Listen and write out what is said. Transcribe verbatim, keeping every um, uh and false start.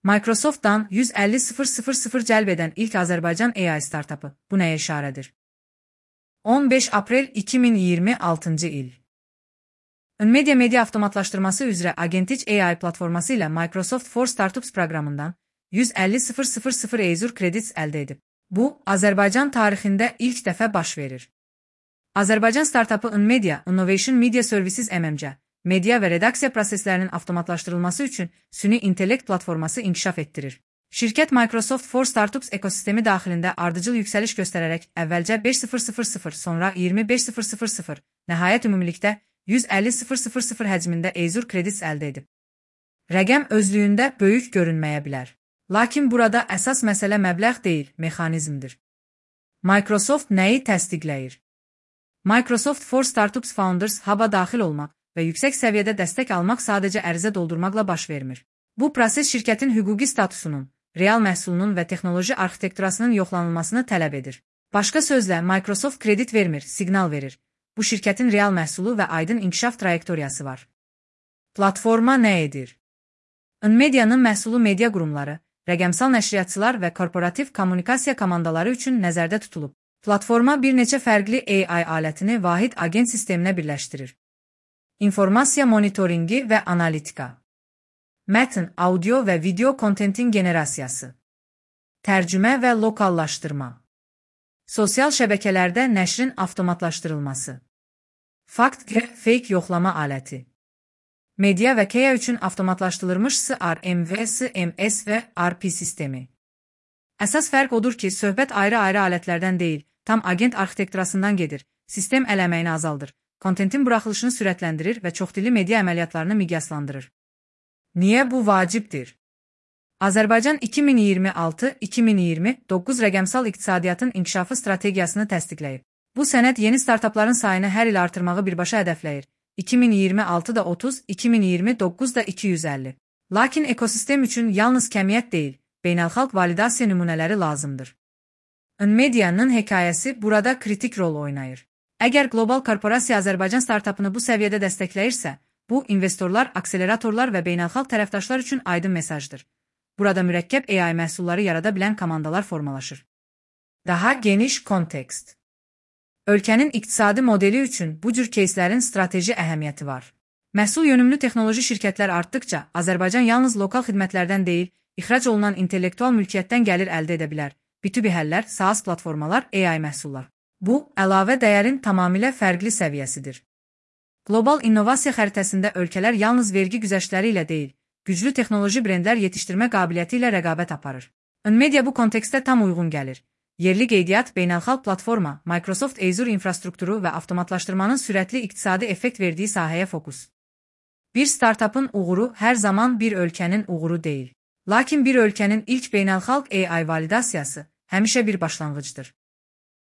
Microsoft'dan yüz əlli min cəlb edən ilk Azərbaycan A I startapı. Bu nəyə işarədir? on beş aprel iki min iyirmi altıncı il. Nmedia media avtomatlaşdırması üzrə Agentic A I platforması ilə Microsoft for Startups proqramından yüz əlli min Azure Credits əldə edib. Bu, Azərbaycan tarixində ilk dəfə baş verir. Azərbaycan startapı Nmedia Innovation Media Services M M C, media və redaksiya proseslərinin avtomatlaşdırılması üçün süni intellekt platforması inkişaf etdirir. Şirkət Microsoft for Startups ekosistemi daxilində ardıcıl yüksəliş göstərərək əvvəlcə beş min, sonra iyirmi beş min, nəhayət ümumilikdə yüz əlli min həcmində Azure Credits əldə edib. Rəqəm özlüyündə böyük görünməyə bilər. Lakin burada əsas məsələ məbləğ deyil, mexanizmdir. Microsoft nəyi təsdiqləyir? Microsoft for Startups Founders Hub-a daxil olmaq və yüksək səviyyədə dəstək almaq sadəcə ərizə doldurmaqla baş vermir. Bu proses şirkətin hüquqi statusunun, real məhsulunun və texnoloji arxitekturasının yoxlanılmasını tələb edir. Başqa sözlə, Microsoft kredit vermir, siqnal verir. Bu şirkətin real məhsulu və aydın inkişaf trayektoriyası var. Platforma nə edir? Nmedia'nın məhsulu media qurumları, rəqəmsal nəşriyyatçılar və korporativ kommunikasiya komandaları üçün nəzərdə tutulub. Platforma bir neçə fərqli A I alətini vahid agent sisteminə birləşdirir. İnformasiya monitoringi və analitika. Mətn, audio və video kontentin generasiyası. Tərcümə və lokallaşdırma. Sosial şəbəkələrdə nəşrin avtomatlaşdırılması. Fakt və fake yoxlama aləti. Media və K I A üçün avtomatlaşdırılmış S R M və S M S və R P sistemi. Əsas fərq odur ki, söhbət ayrı-ayrı alətlərdən deyil, tam agent arxitekturasından gedir, sistem əl əməyini azaldır, kontentin buraxılışını sürətləndirir və çoxdilli media əməliyyatlarını miqyaslandırır. Niyə bu vacibdir? Azərbaycan iki min iyirmi altı iki min iyirmi doqquz rəqəmsal iqtisadiyyatın inkişafı strategiyasını təsdiqləyib. Bu sənəd yeni startapların sayını hər il artırmağı birbaşa hədəfləyir. iki min iyirmi altıda otuz, iki min iyirmi doqquzda iki yüz əlli. Lakin ekosistem üçün yalnız kəmiyyət deyil, beynəlxalq validasiya nümunələri lazımdır. Nmedia'nın hekayəsi burada kritik rol oynayır. Əgər qlobal korporasiya Azərbaycan startapını bu səviyyədə dəstəkləyirsə, bu, investorlar, akseleratorlar və beynəlxalq tərəfdaşlar üçün aydın mesajdır. Burada mürəkkəb A I məhsulları yarada bilən komandalar formalaşır. Daha geniş kontekst. Ölkənin iqtisadi modeli üçün bu cür keyslərin strateji əhəmiyyəti var. Məhsul yönümlü texnoloji şirkətlər artdıqca, Azərbaycan yalnız lokal xidmətlərdən deyil, ixrac olunan intellektual mülkiyyətdən gəlir əldə edə bilər. B iki B həllər, SaaS platformalar, A I məhsullar. Bu, əlavə dəyərin tamamilə fərqli səviyyəsidir. Qlobal innovasiya xəritəsində ölkələr yalnız vergi güzəştləri ilə deyil, güclü texnoloji brendlər yetişdirmə qabiliyyəti ilə rəqabət aparır. Nmedia bu kontekstdə tam uyğun gəlir. Yerli qeydiyyat, beynəlxalq platforma, Microsoft Azure infrastrukturu və avtomatlaşdırmanın sürətli iqtisadi effekt verdiyi sahəyə fokus. Bir startapın uğuru hər zaman bir ölkənin uğuru deyil. Lakin bir ölkənin ilk beynəlxalq A I validasiyası həmişə bir başlanğıcdır.